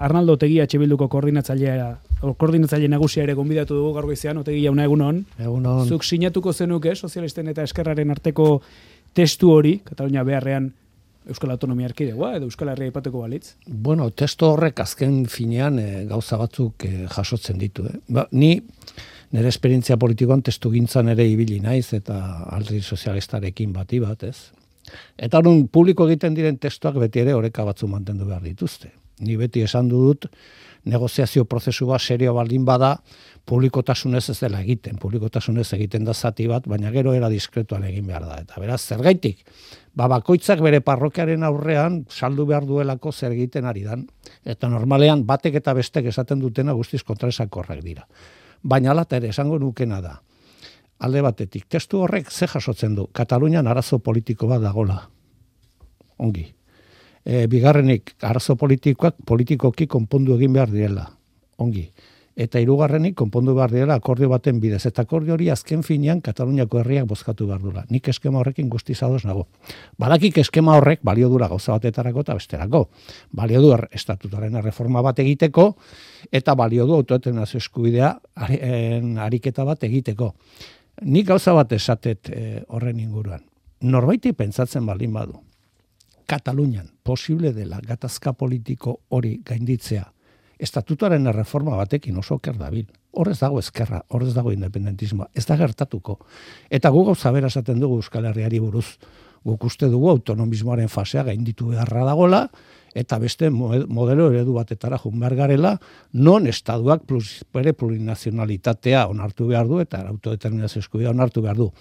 Arnaldo Otegi Bilduko koordinatzaile nagusia ere gonbidatu dugu gaur goizean. Otegi jauna, egunon. Egunon. Zuk sinatuko zenuke sozialisten eta eskerraren arteko testu hori, Katalunia beharrean Euskal Autonomia Erkidegoa edo Euskal Herria aipatuko balitz? Bueno, testu horrek azken finean gauza batzuk jasotzen ditu. Ni nire esperientzia politikoan testugintzan ere ibili naiz eta alderdi sozialistarekin bat, ez? Eta orduan publiko egiten diren testuak beti ere oreka batzu mantendu behar dituzte. Ni beti esan dut negoziazio prozesu bat serio baldin bada publikotasunez ez dela egiten. Publikotasunez egiten da zati bat, baina gero era diskretuan egin behar da. Eta beraz, zergaitik, bakoitzak bere parrokiaren aurrean saldu behar duelako zer egiten ari dan. Eta normalean batek eta bestek esaten dutena guztiz kontraesakorrak dira. Baina alata ere esango nukena da. Alde batetik, testu horrek ze jasotzen du? Katalunian arazo politiko bat dagola. Ongi. Bigarrenik, arazo politikoki konpondu egin behar direla. Ongi. Eta hirugarrenik konpondu behar direla akordio baten bidez. Eta akordio hori azken finean Kataluniako herriak bozkatu behar dula. Nik eskema horrekin guztiz ados nago. Badakik eskema horrek balio dura gauza batetarako eta besterako. Balio du estatutaren reforma bat egiteko eta balio du autodeterminazio eskubidea ariketa bat egiteko. Nik gauza bat esatet horren inguruan. Norbaiti pentsatzen baldin badu. Katalunian posible dela gatazka politiko hori gainditzea. Estatutuaren reforma batekin oso oker dabil. Horrez dago ezkerra, horrez dago independentismoa. Ez da gertatuko. Eta gu gauza bera esaten dugu Euskal Herriari buruz. Guk uste dugu autonomismoaren fasea gainditu beharra dagola, eta beste modelo eredu batetara joan behar garela, non estaduak bere plurinazionalitatea onartu behar du, eta autodeterminazio eskubidea onartu behar du.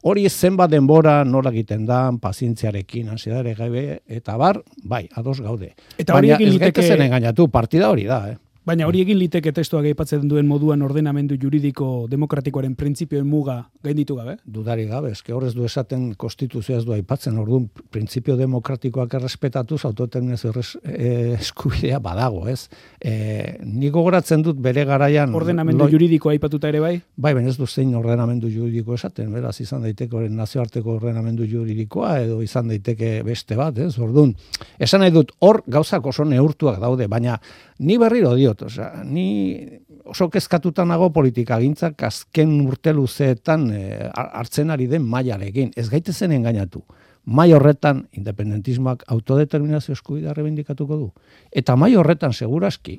Hori zenbat denbora nola egiten da, pazientziarekin, ansiedade gabe, eta bai, ados gaude. Eta baina ez gaitezen engainatu, partida hori da, Baina hori egin liteke testuak aipatzen duen moduan ordenamendu juridiko demokratikoaren printzipioen muga gainditu gabe? Dudari gabe, eske horrez du esaten konstituzioa ez du aipatzen, orduan printzipio demokratikoak errespetatuz autodeterminazio eskubidea badago, ez? Nik gogoratzen dut bere garaian... Ordenamendu juridikoa aipatuta ere bai? Bai, baina ez du zein ordenamendu juridiko esaten, beraz izan daiteke nazioarteko ordenamendu juridikoa edo izan daiteke beste bat, ez? Orduan, esan nahi dut hor gauzak oso neurtuak daude, baina ni berriro diot, ni oso kezkatuta nago politikagintzak azken urte luzeetan hartzen ari den mailarekin. Ez gaitezen engainatu. Mai horretan independentismoak autodeterminazio eskubidea rebindikatuko du. Eta mai horretan seguraski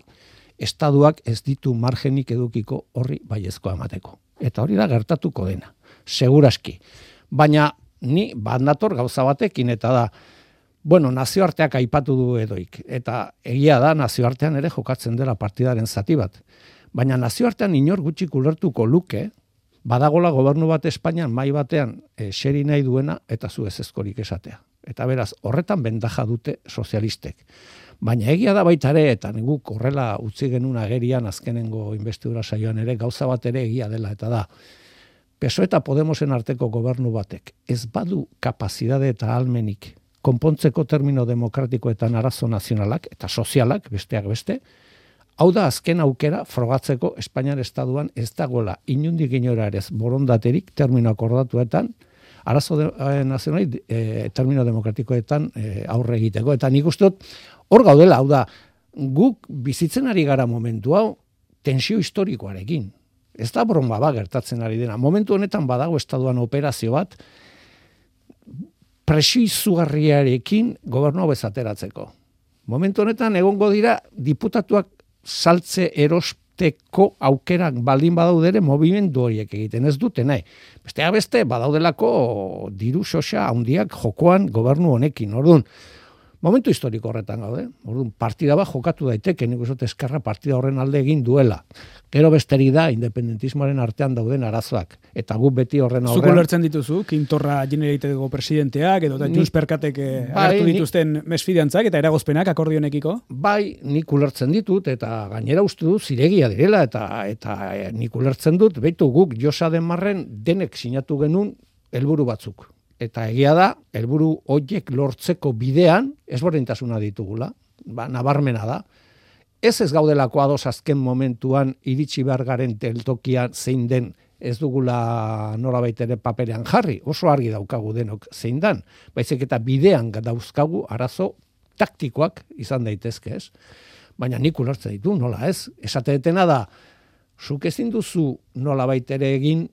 estaduak ez ditu margenik edukiko horri baiezkoa emateko. Eta hori da gertatuko dena. Seguraski. Baina ni bandator gauza batekin eta da nazioarteak aipatu du edoik, eta egia da nazioartean ere jokatzen dela partidaren zati bat. Baina nazioartean inor gutxik ulertuko luke, badagola gobernu bat Espainian mai batean seri nahi duena eta zu ezezkorik esatea. Eta beraz, horretan bendaja dute sozialistek. Baina egia da baita ere, eta guk horrela utzi genuen agerian azkenengo investidura saioan ere, gauza bat ere egia dela, eta da, PSOE eta Podemosen arteko gobernu batek ez badu kapazidade eta ahalmenik konpontzeko termino demokratikoetan arazo nazionalak eta sozialak, besteak beste, hau da azken aukera frogatzeko Espainiar Estaduan ez dagoela inundik inora ere borondaterik termino akordatuetan arazo nazionali termino demokratikoetan aurre egiteko. Eta nik uste dut hor gaudela, hau da, guk bizitzen ari gara momentu hau tensio historikoarekin. Ez da broma gertatzen ari dena. Momentu honetan badago Estaduan operazio bat, presio izugarriarekin gobernua bezateratzeko. Momentu honetan egongo dira diputatuak saltze erosteko aukerak baldin badaudere movimendu horiek egiten ez dute nahi. Besteak beste badaudelako diru xoxa handiak jokoan gobernu honekin. Orduan, momentu historiko horretan gaude. Orduan, partida bat jokatu daiteke, nik uste eskerra partida horren alde egin duela. Gero besterik da independentismoaren artean dauden arazoak. Eta guk beti horren aurrean... Zuko lertzen dituzu, Quintorra Generalitateko presidenteak, edo Junts Perkatek agertu dituzten mesfidantzak eta eragozpenak akordionekiko? Bai, nik ulertzen ditut, eta gainera uste dut ziregia direla, eta nik ulertzen dut, behitu guk Josa den Marren denek sinatu genuen helburu batzuk. Eta egia da, helburu horiek lortzeko bidean, ezberdintasuna ditugula, nabarmena da. Ez gaudelako ados azken momentuan iritsi behar garen teltokian zein den ez dugula norabait ere paperean jarri. Oso argi daukagu denok zein dan. Baizik eta bidean dauzkagu arazo taktikoak izan daitezke, ez? baina nik ulertzen ditu, nola ez? Esate detena da, zuk ezin duzu nola baitere egin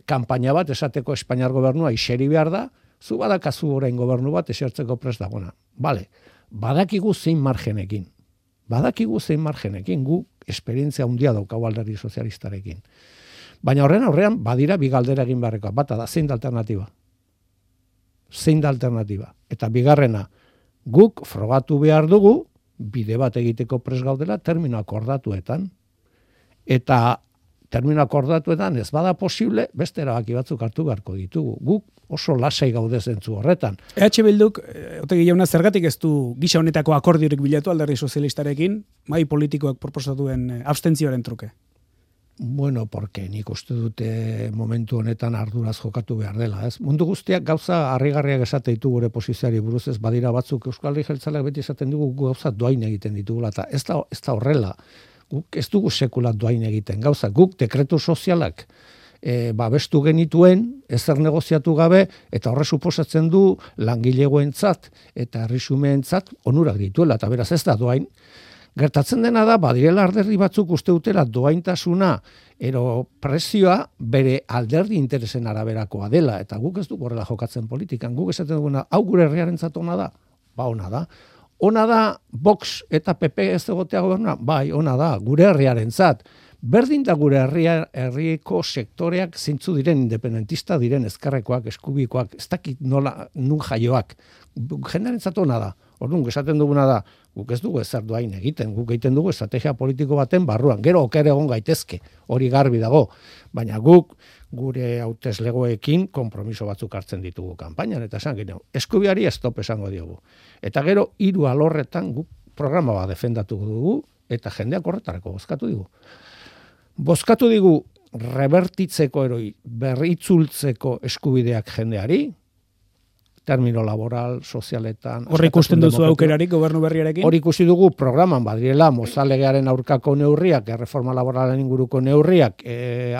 kanpaina bat esateko Espainiar gobernua iseri behar da, zu badakazu orain gobernu bat esertzeko prest dagona. Bale, badakigu zein margenekin. Gu esperientzia handia daukau alderdi sozialistarekin. Baina horren aurrean badira bi galdera egin beharrekoa. Bata da, zein da alternatiba? Eta bigarrena, guk frogatu behar dugu, bide bat egiteko prest gaudela termino akordatuetan. Eta termino akordatuetan ez bada posible, beste erabaki batzuk hartu beharko ditugu. Guk oso lasai gaude zentzu horretan. EH Bilduk, Otegi jauna, zergatik ez du gisa honetako akordiorik bilatu alderdi sozialistarekin, mai politikoak proposatuen abstentzioaren truke? Bueno, porque nik uste dute momentu honetan arduraz jokatu behar dela, ez? Mundu guztiak gauza harrigarriak esate ditu gure posizioari buruz, ez badira batzuk Euskal Herri Jeltzaleak beti esaten dugu gauza doain egiten ditugula, eta ez da horrela. Guk ez dugu sekula doain egiten gauza, guk dekretu sozialak babestu genituen, ezer negoziatu gabe, eta horre suposatzen du langilegoentzat eta herrixumeentzat onurak dituela, eta beraz ez da doain. Gertatzen dena da, badirela alderdi batzuk uste dutela doaintasuna, ero presioa bere alderdi interesen araberakoa dela, eta guk ez dugu horrela jokatzen politikan, guk esaten duguna, hau gure herriarentzat ona da? Ba, ona da. Ona da, Vox eta PP ez egotea gobernua? Bai, ona da, gure herriarentzat. Berdin da gure herriko sektoreak zintzu diren independentista diren ezkerrekoak, eskubikoak, ez dakit nola nun jaioak. Jendarentzat ona da. Orduan, esaten duguna da, guk ez dugu ezer doain egiten, guk egiten dugu estrategia politiko baten barruan, gero oker egon gaitezke, hori garbi dago, baina guk gure hauteslegoekin konpromiso batzuk hartzen ditugu kanpainan, eta esan gero, eskubiari stop esango diogu. Eta gero, 3 alorretan guk programa bat defendatu dugu, eta jendeak horretarako bozkatu digu. Bozkatu digu rebertitzeko eroi, berritzultzeko eskubideak jendeari, termino laboral, sozialetan... Horri ikusten duzu aukerarik gobernu berriarekin? Hori ikusi dugu programan badirela, mozalegearen aurkako neurriak, reforma laboralen inguruko neurriak,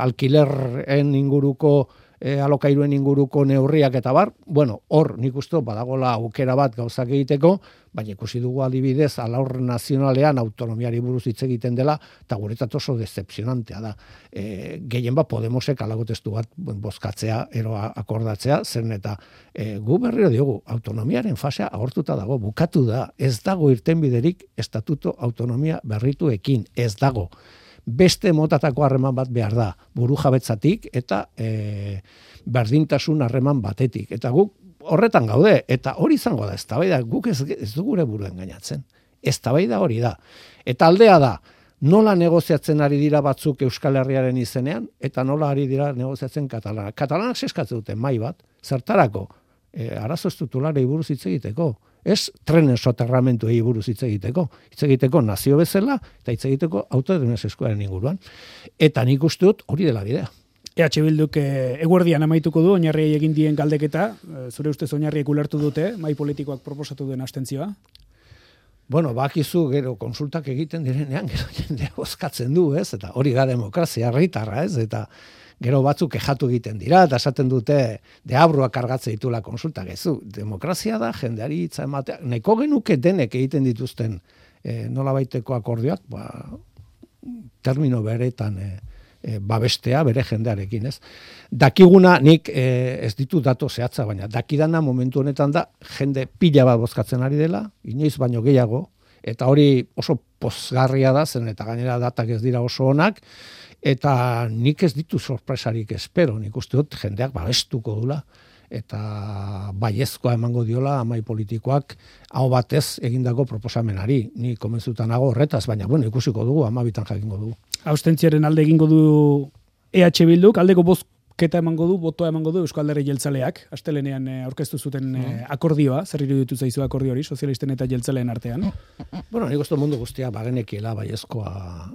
alkilerren inguruko, alokairuen inguruko neurriak eta bar, bueno, hor nik uste badagola aukera bat gauzak egiteko, baina ikusi dugu adibidez, alaur nazionalean autonomiari buruz hitz egiten dela, eta guretzat oso decepcionantea da. Gehien bat Podemosek alagotestu bat bozkatzea, ero akordatzea, zen eta gu berriro diogu, autonomiaren fasea agortuta dago, bukatu da, ez dago irtenbiderik estatuto autonomia berrituekin, ez dago. Beste motatako harreman bat behar da, buru jabetzatik eta berdintasun harreman batetik. Eta guk horretan gaude, eta hori izango da, eztabaida guk ez du gure buruen gainatzen. Eztabaida hori da. Eta aldea da, nola negoziatzen ari dira batzuk Euskal Herriaren izenean, eta nola ari dira negoziatzen Katalanak. Katalanak eskatzen dute mai bat, zertarako, arazo estrukturalei buruz hitz egiteko. Ez trenen soterramentuei buruz hitz egiteko nazio bezala, eta hitz egiteko autodeterminazio eskuaren inguruan. Eta nik uste dut hori dela bidea. EH Bilduk eguerdian amaituko du, oinarriei egin dien galdeketa, zure ustez oinarriek ulertu dute, mai politikoak proposatu duen abstentzioa? Bueno, bakizu gero konsultak egiten direnean, gero jendea bozkatzen du, ez? Eta hori da demokrazia herritarra, ez? Eta gero batzuk kexatu egiten dira, eta esaten dute deabruak kargatze ditula konsultak. Ez du, demokrazia da, jendeari hitza ematea. Nahiko genuke denek egiten dituzten nolabaiteko akordioak, termino beretan babestea bere jendearekin, ez? Dakiguna nik ez ditu dato zehatza, baina dakidana momentu honetan da jende pila bat bozkatzen ari dela, inoiz baino gehiago, eta hori oso pozgarria da, zen eta gainera datak ez dira oso onak, eta nik ez ditu sorpresarik espero, nik uste dut jendeak babestuko dula, eta baiezkoa emango diola amai politikoak hau batez egindako proposamenari. Ni komentzutan nago horretaz, baina bueno, ikusiko dugu, 12 jakingo dugu. Abstentziaren alde egingo du EH Bilduk, aldeko bozketa emango du, botoa emango du Euskal Herri Jeltzaleak, astelenean aurkeztu zuten akordioa, zer iruditu zaizu akordio hori, sozialisten eta jeltzaleen artean? Bueno, nik uste mundu guztia bagenekiela baiezkoa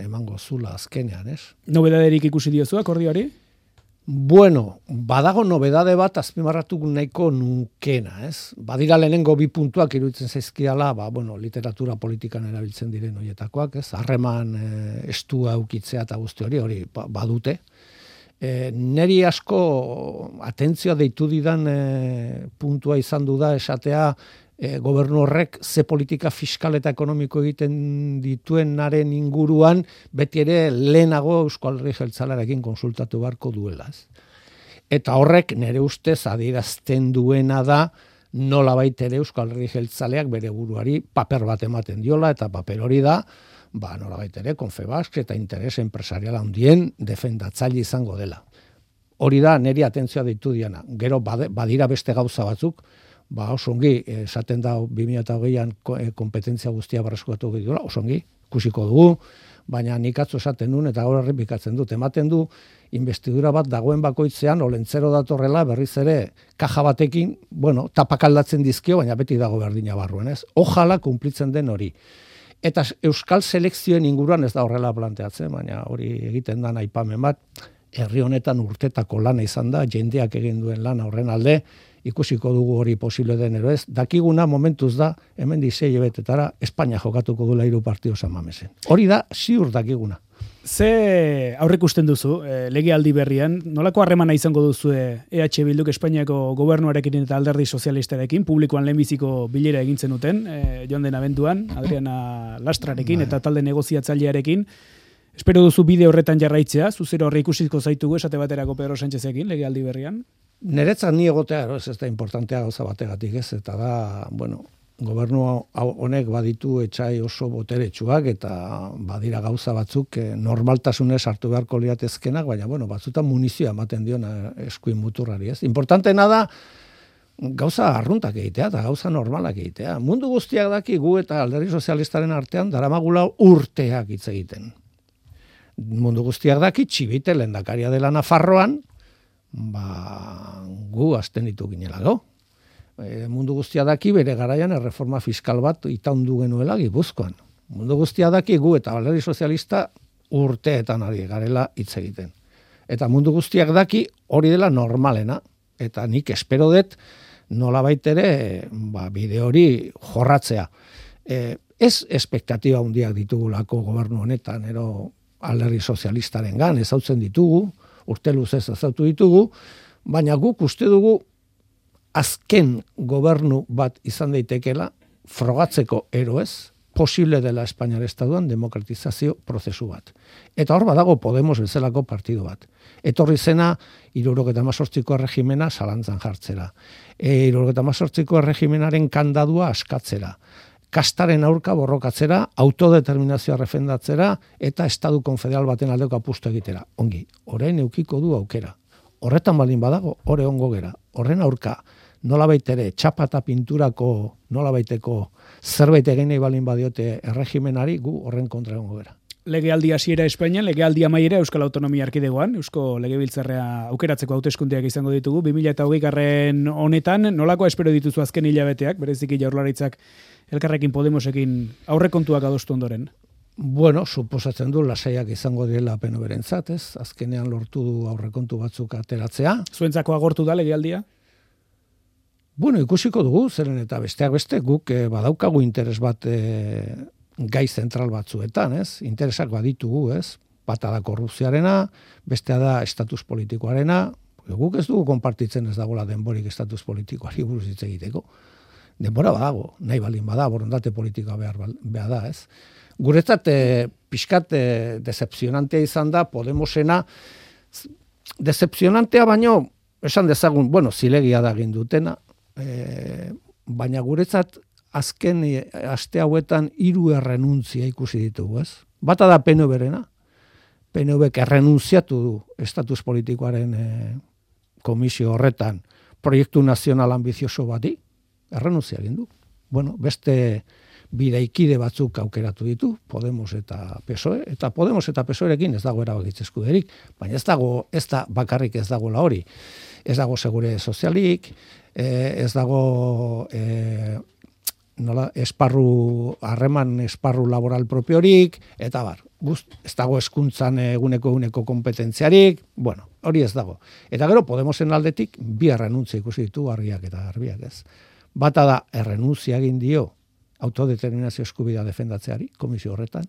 emango zula azkenean, ez? Nobedaderik ikusi diozu akordioari? Bueno, badago nobedade bat azpimarratu nahiko nukena, ez? Badira lehenengo 2 puntuak iruditzen zaizkiala, bueno, literatura politikan erabiltzen diren horietakoak, ez? Harreman estua ukitzea eta guzti hori badute. Neri asko atentzioa deitu didan puntua izan du da esatea gobernu horrek ze politika fiskal eta ekonomiko egiten dituenaren inguruan beti ere lehenago Eusko Alderdi Jeltzalearekin konsultatu beharko duela. Eta horrek nire ustez adierazten duena da nolabait ere Eusko Alderdi Jeltzaleak bere buruari paper bat ematen diola, eta paper hori da nolabait ere Confebask eta interes enpresarial handien defendatzaile izango dela. Hori da niri atentzioa deitu diana. Gero badira beste gauza batzuk, oso ongi, esaten da 2008an kompetentzia guztia berreskuratu dira, oso ongi, ikusiko dugu, baina nik atzo esaten duen eta gaur errepikatzen dut, ematen du investidura bat dagoen bakoitzean olentzero datorrela berriz ere kaja batekin, tapak aldatzen dizkio, baina beti dago berdina barruen, ez? Ojala kumplitzen den hori. Eta euskal selekzioen inguruan ez da horrela planteatzen, baina hori egiten da aipamen bat, herri honetan urtetako lana izan da, jendeak egin duen lana horren alde, ikusiko dugu hori posible den ero ez. Dakiguna momentuz da, hemen 6 hilabetetara Espainia jokatuko duela 3 partido San Mamesen. Hori da, ziur dakiguna. Ze aurrikusten duzu, legealdi berrian, nolako harremana izango duzu EH Bilduk Espainiako gobernuarekin eta alderdi sozialistarekin, publikoan lehenbiziko bilera egin zenuten, joan den abenduan, Adriana Lastrarekin eta talde negoziatzailearekin. Espero duzu bide horretan jarraitzea, zuzero horre ikusiko zaitugu esate baterako Pedro Sánchezekin legealdi berrian? Niretzat ni egotea, ez da importantea gauza bategatik ez, eta da, gobernu honek baditu etxai oso boteretsuak eta badira gauza batzuk normaltasunez hartu beharko liatezkenak, baina batzutan munizioa ematen diona eskuin muturrari, ez? Importanteena da gauza arruntak egitea eta gauza normalak egitea. Mundu guztiak daki gu eta alderdi sozialistaren artean daramagula urteak hitz egiten. Mundu guztiak daki Txibite lehendakaria dela Nafarroan, gu azten ditu ginelago. Mundu guztia daki bere garaian erreforma fiskal bat itaundu genuela Gipuzkoan. Mundu guztia daki gu eta alderdi sozialista urteetan ari garela hitz egiten. Eta mundu guztiak daki hori dela normalena. Eta nik espero dut nolabait ere bide hori jorratzea. Ez espektatiba handiak ditugulako gobernu honetan, alderdi sozialistaren gan, ezautzen ditugu, urte luzez ezautu ditugu, baina guk uste dugu azken gobernu bat izan daitekela frogatzeko eroez, posible dela Espainiar Estatuan demokratizazio prozesu bat. Eta hor badago Podemos bezalako partidu bat. Etorri zena 78ko erregimena zalantzan jartzera. 78ko erregimenaren kandadua askatzera. Kastaren aurka borrokatzera, autodeterminazioa refendatzera eta Estatu konfederal baten aldeko apustu egitera. Ongi, orain eukiko du aukera. Horretan baldin badago, hore ongo gera. Horren aurka, nolabait ere txapa eta pinturako nolabaiteko zerbait eginei baldin badiote erregimenari, gu horren kontra egongo gera. Legealdi hasiera Espainian, legealdi amaiera Euskal Autonomia Erkidegoan, Eusko Legebiltzarra aukeratzeko hauteskundeak izango ditugu 2020 honetan, nolako espero dituzu azken hilabeteak, bereziki Jaurlaritzak elkarrekin Podemosekin aurrekontuak adostu ondoren? Suposatzen du lasaiak izango direla PNV-rentzat, ez? Azkenean lortu du aurrekontu batzuk ateratzea. Zuentzako agortu da legealdia? Ikusiko dugu, zeren eta besteak beste, guk badaukagu interes bat gai zentral batzuetan, ez? Interesak baditugu, ez? Bata da korrupzioarena, bestea da estatus politikoarena, guk ez dugu konpartitzen ez dagoela denborik estatus politikoari buruz hitz egiteko. Denbora badago, nahi baldin bada, borondate politika behar da, ez? Guretzat, pixkat decepzionantea izan da, Podemosena, decepzionantea baino, esan dezagun, zilegia da egin dutena, baina guretzat, azken aste hauetan 3 errenuntzia ikusi ditugu, ez? Bata da PNV-rena, PNV-k errenuntziatu du estatus politikoaren komisio horretan proiektu nazional ambizioso bati, errenuntzia egin du. Beste bidaikide batzuk aukeratu ditu, Podemos eta PSOE, eta Podemos eta PSOErekin ez dago erabakitze eskuderik, baina ez da bakarrik ez dagoela hori. Ez dago segure sozialik, ez dago harreman esparru laboral propiorik, eta ez dago hezkuntzan eguneko kompetentziarik, hori ez dago. Eta gero Podemosen aldetik 2 errenuntzia ikusi ditu argiak eta garbiak, ez. Bata da errenuntzia egin dio autodeterminazio eskubidea defendatzeari, komisio horretan,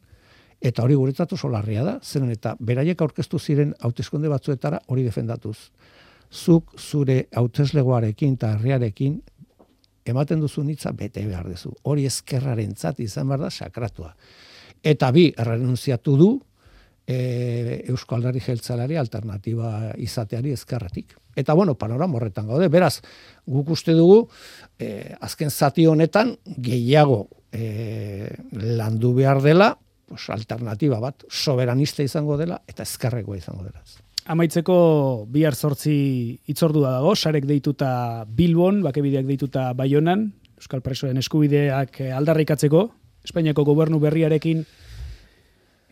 eta hori guretzat oso larria da, zeren eta beraiek aurkeztu ziren hauteskunde batzuetara hori defendatuz. Zuk zure hauteslegoarekin eta herriarekin ematen duzun hitza bete behar duzu. Hori ezkerrarentzat izan behar da sakratua. Eta bi, errenunziatu du Eusko Alderdi Jeltzaleari alternatiba izateari ezkerretik. Eta panorama horretan gaude. Beraz, guk uste dugu azken zati honetan gehiago landu behar dela, alternatiba bat, soberanista izango dela eta ezkerrekoa izango dela. Amaitzeko bihar 8 hitzordua dago, sarek deituta Bilbon, bakebideak deituta Baionan, Euskal presoen eskubideak aldarrikatzeko, Espainiako gobernu berriarekin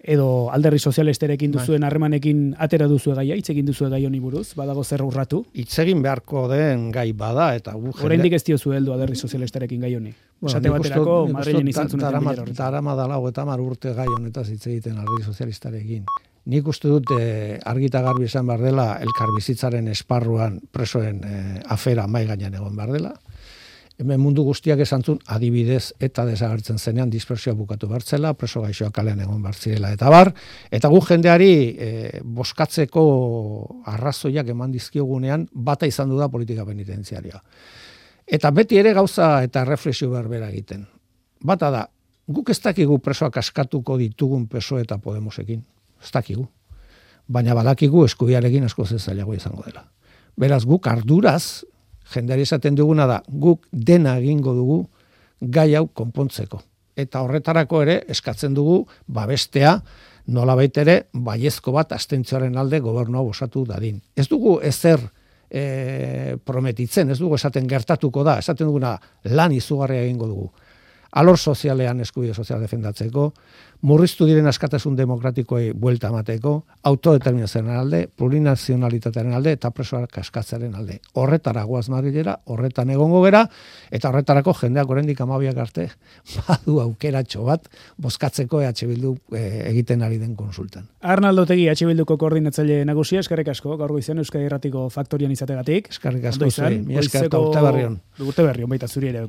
edo alderdi sozialistarekin duzuen harremanekin atera duzu gaia, hitz egin duzu gai honi buruz, badago zer urratu. Hitz egin beharko den gai bada eta oraindik ez diozu heldu alderdi sozialistarekin gai honi. Esate baterako Madrilen izan zuen bilera. Darama dala 30 urte gai honetaz hitz egiten alderdi sozialistarekin. Nik uste dut argita garbi esan behar dela elkarbizitzaren esparruan presoen afera mai gainean egon behar dela. Hemen mundu guztiak esantzun adibidez eta desagertzen zenean dispersioa bukatu bertzela, preso gaixoak kalean egon bertzirela eta bar, eta gu jendeari boskatzeko arrazoiak eman dizkiogunean bata izan du da politika penitentziarioa. Eta beti ere gauza eta reflexio berbera egiten. Bata da, guk ez dakigu presoak askatuko ditugun PSOE eta Podemosekin, ez dakigu. Baina badakigu eskubiarekin asko zailago izango dela. Beraz, guk arduraz, jendeari esaten duguna da, guk dena egingo dugu gai hau konpontzeko. Eta horretarako ere eskatzen dugu babestea nolabait ere baiezko bat abstentzioaren alde gobernua osatu dadin. Ez dugu ezer prometitzen, ez dugu esaten gertatuko da, esaten duguna lan izugarria egingo dugu. Alor sozialean eskubide sozial defendatzeko, murriztu diren askatasun demokratikoei buelta emateko, autodeterminazioaren alde, plurinazionalitatearen alde eta presoak askatzearen alde. Horretara goaz Madrilera, horretan egongo gera, eta horretarako jendeak oraindik 12 arte badu aukeratxo bat bozkatzeko EH Bildu egiten ari den konsultan. Arnaldo Otegi, EH Bilduko koordinatzaile nagusia, eskerrik asko, gaur goizean Euskadi Irratiko faktorian izategatik. Eskerrik asko zuei, mi esker eta urte berri on. Urte berri on baita zuri ere.